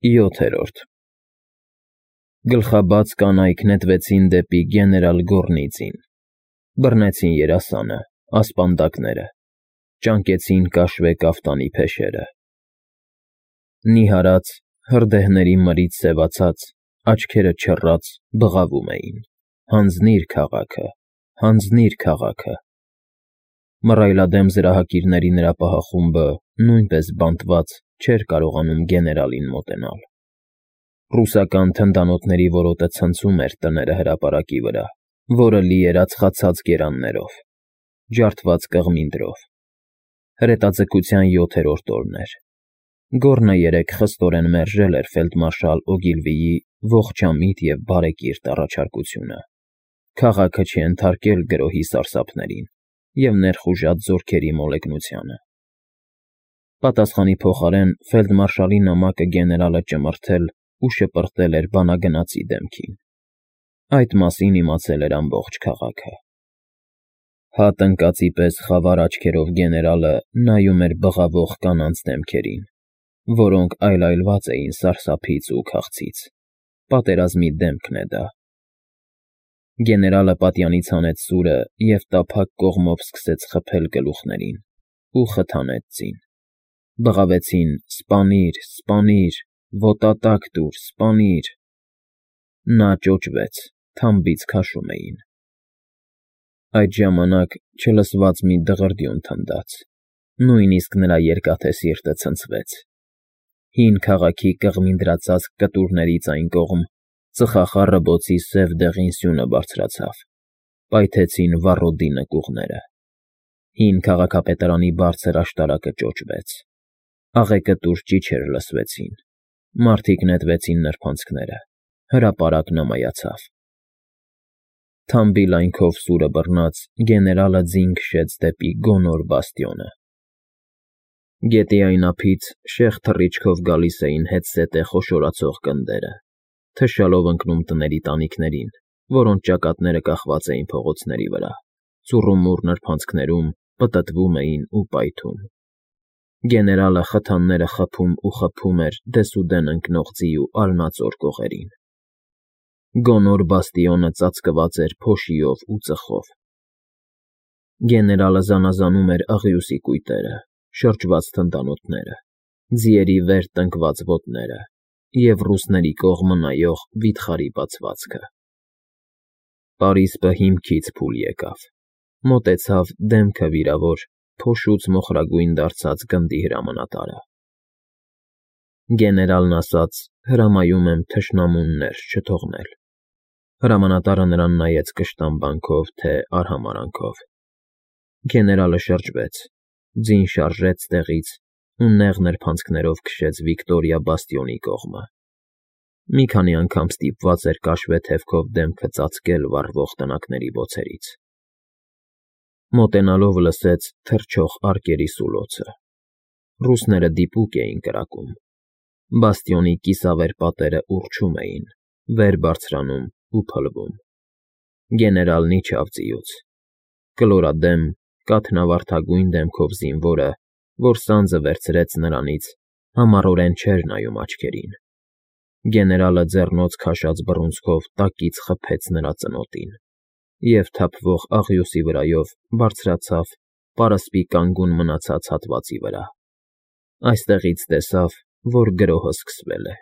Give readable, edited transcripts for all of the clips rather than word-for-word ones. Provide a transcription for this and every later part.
7. Գլխաբաց կանայք նետվեցին դեպի գեներալ Գոռնիծին, բռնեցին երասանը, ասպանդակները, ճանկեցին կաշվե կաֆտանի փեշերը. նիհարած, հրդեհների մրից սևացած, աչքերը չռած բղավում էին. «Հանձնի՛ր քաղաքը, հանձնի՛ր քաղաքը»։ Մռայլադեմ զրահակիրների նրա պահախումբը, նույնպես բանտված, չէր կարողանում գեներալին մոտենալ։ Ռուսական թնդանոթների որոտը ցնցում էր տները հրապարակի վրա, որը լի էր ածխացած գերաններով, ջարդված կղմինդրով։ Հրետաձգության 7-րդ օրն էր։ Գոռնը երեկ խստորեն մերժել էր ֆելդմարշալ Օգիլվիի ողջամիտ և բարեկիրթ առաջարկությունը։ Քաղաքը չենթարկել գրոհի սարսափներին և ներխուժած զորքերի մոլեգնությանը։ Պատասխանի փոխարեն ֆելդմարշալի նամակը գեներալը ճմրթել ու շպրտել էր բանագնացի դեմքին։ Այդ մասին իմացել էր ամբողջ քաղաքը։ Հատ ընկածի պես խավար աչքերով գեներալը նայում էր բղավող կանանց դեմքերին, որոնք այլայլված էին սարսափից ու քաղցից։ Պատերազմի դեմքն է դա։ Գեներալը պատյանից հանեց սուրը և տափակ կողմով սկսեց խփել գլուխներին ու խթանեց ձին։ Բղավեցին. «Սպանիր, սպանիր, ոտատակ տուր, սպանիր»։ Նա ճոճվեց, թամբից քաշում էին։ Այդ ժամանակ չլսված մի դղրդյուն թնդաց, նույնիսկ նրա երկաթե սիրտը ցնցվեց։ Հին քաղաքի կղմինդրածածկ կտուրներից այն կողմ ծխախառը բոցի սև դեղին սյունը բարձրացավ, պայթեցին վառոդի նկուղները։ Հին քաղաքապետարանի բարձր աշտարակը ճոճվեց, աղեկտուր ճիչեր լսվեցին, մարդիկ նետվեցին նրբանցքները, հրապարակն ամայացավ։ Թամբի լայնքով սուրը բռնած, գեներալը ձին քշեց դեպի գոնոր բաստիոնը։ Գետի այն ափից շեղ թռիչքով գալիս էին հետզհետե խոշորացող կնդերը, թշալով ընկնում տների տանիքներին, որոնց ճակատները կախված էին փողոցների վրա, ծուռումուռ նրբանցքներում, պտտվում էին ու պայթում։ Գեներալը խթանները խփում ու խփում էր դեսուդեն ընկնող ձի ու ալնածոր կողերին։ Գոնոր բաստիոնը ծածկված էր փոշիով ու ծխով։ Գեներալը զանազանում էր աղյուսի կույտերը, շրջված թնդանոթները, ձիերի վեր տնկված ոտները և ռուսների կողմը նայող վիթխարի բացվածքը։ Պարիսպը հիմքից փուլ եկավ, մոտեցավ դեմքը վիրավոր, փոշուց մոխրագույն դարձած գնդի հրամանատարը։ Գեներալն ասաց. «Հրամայում եմ թշնամուն ներս չթողնել»։ Հրամանատարը նրան նայեց կշտամբանքով թե արհամարհանքով։ Գեներալը շրջվեց, ձին շարժեց տեղից ու նեղ նրբանցքներով քշեց Վիկտորիա բաստիոնի կողմը։ Մի քանի անգամ ստիպված էր կաշվե թևքով դեմքը ծածկել վառվող տնակների բոցերից։ Մոտենալով լսեց թռչող արկերի սուլոցը։ Ռուսները դիպուկ էին կրակում։ Բաստիոնի կիսավեր պատերը ուռչում էին, վեր բարձրանում ու փլվում։ Գեներալն իջավ ձիուց։ Կլորադեմ, կաթնավարդագույն դեմքով զինվորը, որ սանձը վերցրեց նրանից, համառորեն չէր նայում աչքերին։ Գեներալը ձեռնոց քաշած բռունցքով տակից խփեց նրա ծնոտին և թափվող աղյուսի վրայով բարձրացավ պարսպի կանգուն մնացած հատվածի վրա։ Այստեղից տեսավ, որ գրոհը սկսվել է։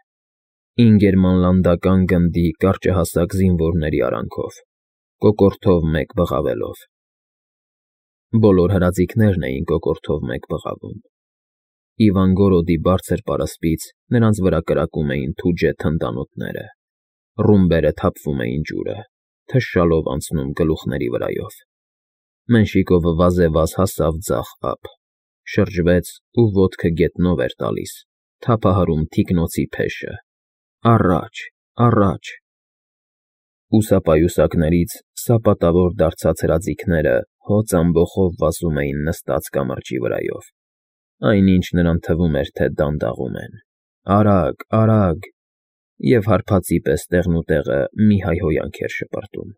Ինգերմանլանդական գնդի կարճահասակ զինվորների արանքով, կոկորդով մեկ բղավելով։ Բոլոր հրաձիգներն էին կոկորդով մեկ բղավում։ Իվանգորոդի բարձր պարսպից նրանց վրա կրակում էին թուջե թնդանոթները, ռումբերը թափվում էին ջուրը, թշալով անցնում գլուխների վրայով։ Մենշիկովը վազեվազ հասավ ձախ ափ, շրջվեց ու ոտքը գետնով էր տալիս, թափահարում թիկնոցի փեշը։ Առաջ, առաջ։ Ուսապայուսակներից սապատավոր դարձած հրաձիգները հոծ ամբոխով վազում էին նստած կամրջի վրայով, այնինչ նրան թվում էր, թե դանդաղում են։ Արագ, արագ։ Եվ հարբածի պես տեղնուտեղը մի հայհոյանք էր շպրտում։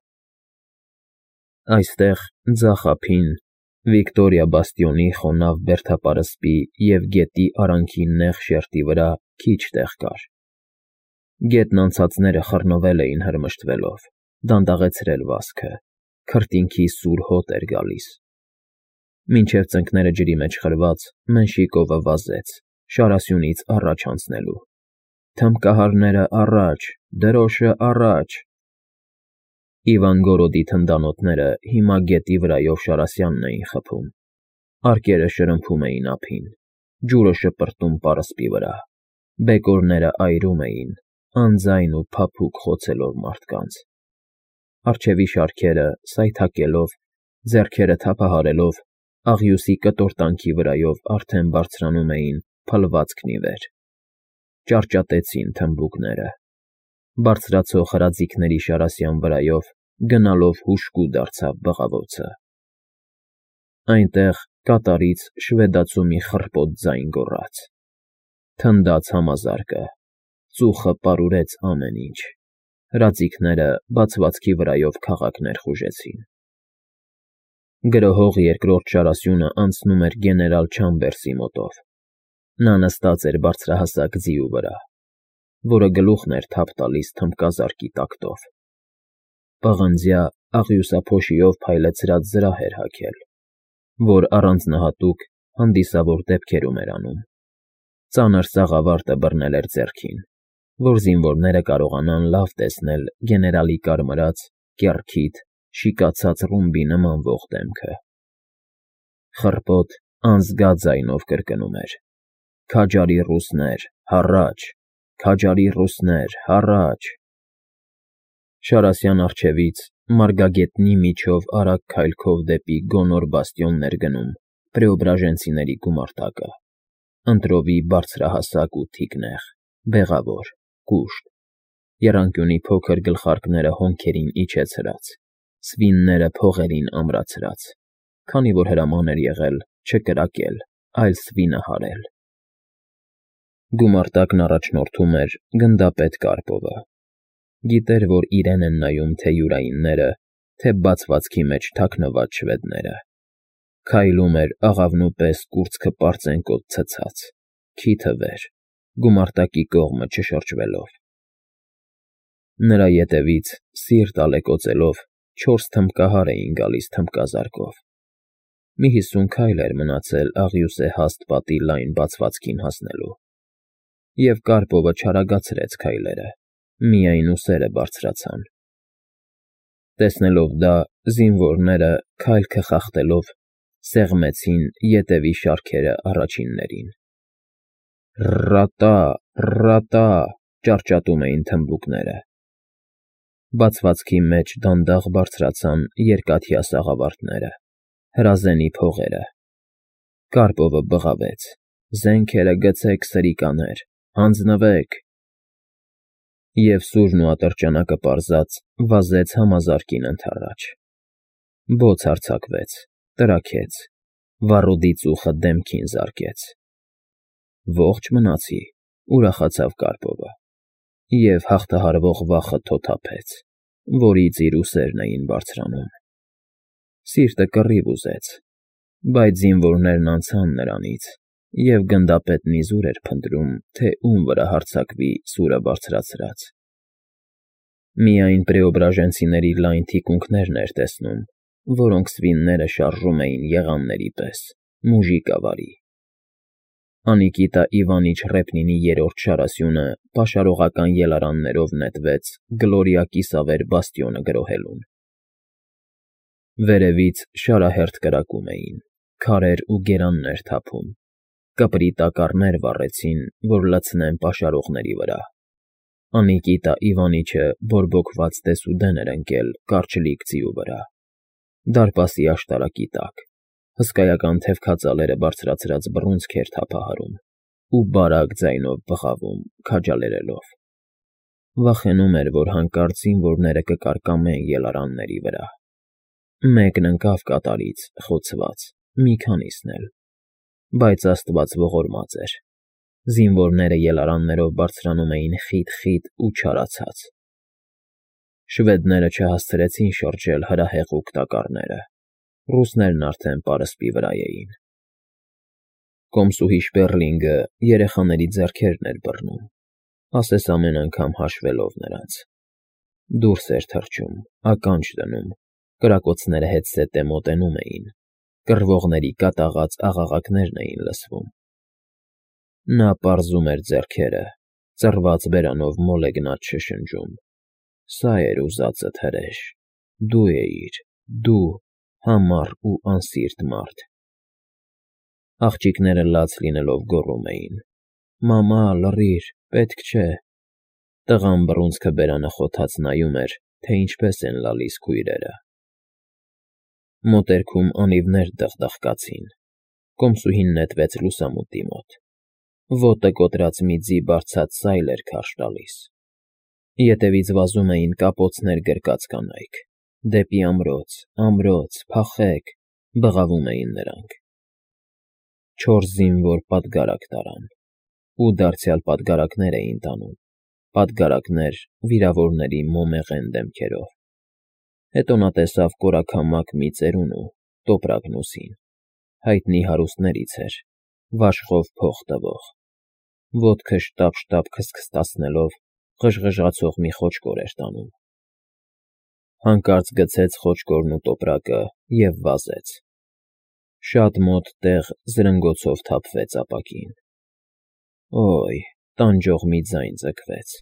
Այստեղ, ձախ ափին, Վիկտորիա բաստիոնի խոնավ բերդապարսպի և գետի արանքի նեղ շերտի վրա քիչ տեղ կար, Գետն անցածները խռնվել էին հրմշտվելով, դանդաղեցրել վազքը, քրտինքի սուր հոտ էր գալիս։ Մինչև ծնկները ջրի մեջ խրված, Մենշիկովը վազեց, շարասյունից առաջ անցնելու։ Թմբկահարները առաջ, դրոշը առաջ։ Իվանգորոդի թնդանոթները հիմա գետի վրայով Շարասյանն էին խփում։ Արկերը շրմփում էին ափին, ջուրը շպրտում պարսպի վրա, բեկորները այրում էին, անձայն ու փափուկ խոցելով մարդկանց։ Արջևի շարքերը սայթաքելով, ձեռքերը թափահարելով, աղյուսի կտորտանքի վրայով արդեն բարձրանում էին փլվածքն ի վեր։ Ճարճատեցին թմբուկները։ Բարձրացող հրաձիգների Շարասյան վրայով գնալով հուժկու դարձավ բղավոցը։ Այնտեղ կատարից շվեդացու մի խռպոտ ձայն գոռաց։ Թնդաց համազարկը, ծուխը պարուրեց ամեն ինչ, հրաձիգները բացվածքի վրայով քաղաքներ խուժեցին։ Գրոհող երկրորդ Շարասյունը անցնում էր գեներալ Չամբերսի մոտով։ Նա նստած էր բարձրահասակ ձիու վրա, որը գլուխն էր թափ տալիս թմբկազարկի տակտով։ Պղնձյա աղյուսափոշիով փայլեցրած զրահ էր հագել, որ առանձնահատուկ հանդիսավոր դեպքերում էր անում։ Ծանր սաղավարտը բռնել էր ձեռքին, որ զինվորները կարողանան լավ տեսնել գեներալի կարմրած, կեռքիթ, շիկացած ռումբի նմանվող դեմքը։ Խռպոտ անզգա ձայնով կրկնում էր. «Քաջարի ռուսներ, հառաչ, քաջարի ռուսներ, հառաչ»։ Շարասյան առջևից մարգագետնի միջով արագ քայլքով դեպի գոնոր բաստիոնն էր գնում պրեոբրաժենցիների գումարտակը, ընտրովի բարձրահասակ ու թիկնեղ, բեղավոր, կուշտ, եռանկյունի փոքր գլխարկները հոնքերին իջեցրած, սվինները փողերին ամրացրած, քանի որ հրաման էր եղել չկրակել, այլ սվինը հարել։ Գումարտակն առաջնորդում էր գնդապետ Կարպովը։ Գիտեր, որ իրեն են նայում թե յուրայինները, թե բացվածքի մեջ թաքնված շվեդները։ Քայլում էր աղավնու պես կուրծքը պարծենկոտ ցցած, քիթը վեր, գումարտակի կողմը չշրջվելով։ Նրա ետևից, սիրտ ալեկոծելով, 4 թմբկահար էին գալիս թմբկազարկով։ Մի 50 քայլ էր մնացել աղյուսե հաստ պատի լայն բացվածքին հասնելու։ Եվ Կարպովը չարագացրեց քայլերը, միայն ուսերը բարձրացան։ Տեսնելով դա, զինվորները, քայլքը խախտելով, սեղմեցին ետևի շարքերը առաջիններին։ «Ռատա, ռատա», ճարճատում էին թմբուկները։ Բացվածքի մեջ դանդաղ բարձրացան երկաթյա սաղավարտները, հրազենի փողերը։ Կարպովը բղավեց. «Զենքերը գցեք, սրիկաներ, հանձնվեք»։ Եվ սուրն ու ատրճանակը պարզած վազեց համազարկին ընդառաջ։ Բոց արձակվեց, տրաքեց, վառոդի ծուխը դեմքին զարկեց։ Ողջ մնացի, ուրախացավ Կարպովը, և հաղթահարվող վախը թոթափեց, որից իր ուսերն էին բարձրանում։ Սիրտը կռիվ ուզեց, բայց զինվորներն անցան նրանից, և գնդապետն իզուր էր փնտրում, թե ում վրա հարձակվի սուրը բարձրացրած։ Միայն պրեոբրաժենցիների լայն թիկունքներն էր տեսնում, որոնք սվինները շարժում էին եղանների պես, մուժիկավարի։ Անիկիտա Իվանիչ Ռեպնինի երրորդ Շարասյունը պաշարողական ելարաններով նետվեց Գլորիա կիսավեր բաստիոնը գրոհելուն։ Վերևից շարահերթ կրակում էին, քարեր ու գերաններ թափում, կպրի տակառներ վառեցին, որ լցնեն պաշարողների վրա։ Անիկիտա Իվանիչը բորբոքված դեսուդեն էր ընկել կարճլիկ ձիու վրա, դարպասի աշտարակի տակ, հսկայական թևքածալերը բարձրացրած բռունցք էր թափահարում ու բարակ ձայնով բղավում, քաջալերելով։ Վախենում էր, որ հանկարծ զինվորները կկարկամեն ելարանների վրա։ Մեկն ընկավ կատարից, խոցված, մի քանիսն էլ, բայց Աստված ողորմած էր։ Զինվորները ելարաններով բարձրանում էին խիտ-խիտ ու չարացած։ Շվեդները չհասցրեցին շրջել հրահեղուկ տակառները։ Ռուսներն արդեն պարսպի վրա էին։ Կոմսուհի Շպեռլինգը երեխաների ձեռքերն էր բռնում։ ասես ամեն անգամ հաշվելով նրանց։ Դուրս էր թռչում, ականջ դնում, կրակոցները հետզհետե մոտենում էին, կռվողների կատաղած աղաղակներն էին լսվում։ Նա պարզում էր ձեռքերը, ծռված բերանով մոլեգնած շշնջում. «Սա էր ուզածդ, հրեշ, դու էիր, դու, համառ ու անսիրտ մարդ»։ Աղջիկները լաց լինելով գոռում էին. «Մամա, լռիր, պետք չէ»։ Տղան բռունցքը բերանը խոթած նայում էր, թե ինչպես են լալիս քույրերը։ Մոտերքում անիվներ դխդխկացին։ Կոմսուհին նետվեց լուսամուտի մոտ։ Ոտը կոտրած մի ձի բարձած սայլ էր քարշ տալիս։ Ետևից վազում էին կապոցներ գրկած կանայք. «Դեպի ամրոց, ամրոց, փախեք», բղավում էին նրանք։ 4 զինվոր պատգարակ տարան, ու դարձյալ պատգարակներ էին տանում, պատգարակներ վիրավորների մոմեղեն դեմքերով։ Հետո նա տեսավ կորաքամակ մի ծերունու, Տոպրակնուսին, հայտնի հարուստներից էր, վաշխով փող տվող, ոտքը շտապ քստքստացնելով ղժղժացող մի խոճկոր էր տանում։ Հանկարծ գցեց խոճկորն ու տոպրակը և վազեց։ Շատ մոտ տեղ զրնգոցով թափվեց ապակին։ Օյ, տանջող մի ձայն ձգվեց։